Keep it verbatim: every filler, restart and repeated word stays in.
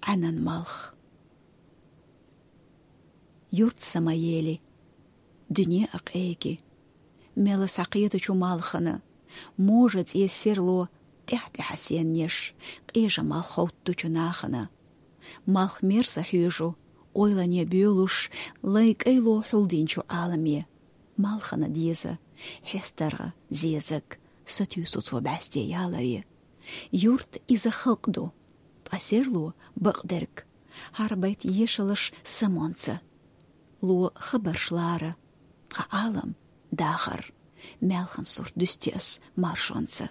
Ӏаьнан малх. Юрт Самаели, дуьне а къеги, мел схьакхетачу малхана, можа цӀе серло тӀаьхь-тӀаьхьа сеннеш, къежа малх ховттучу нахана. Малх мерза хьоьжу, ойлане боьлуш, лай кӀайло хьулдинчу Ӏаламе. Малхана деза хьестаргӀа зезаг, сатуьйсу цо бӀаьсте яларе. Юрт иза халкъ ду, ткъа серло бакъдерг, хӀара байт ешалаш самонца. Ло хабарш лара, ткъа Ӏалам дахар, маьлхан сурт дуьсти ас маршонца.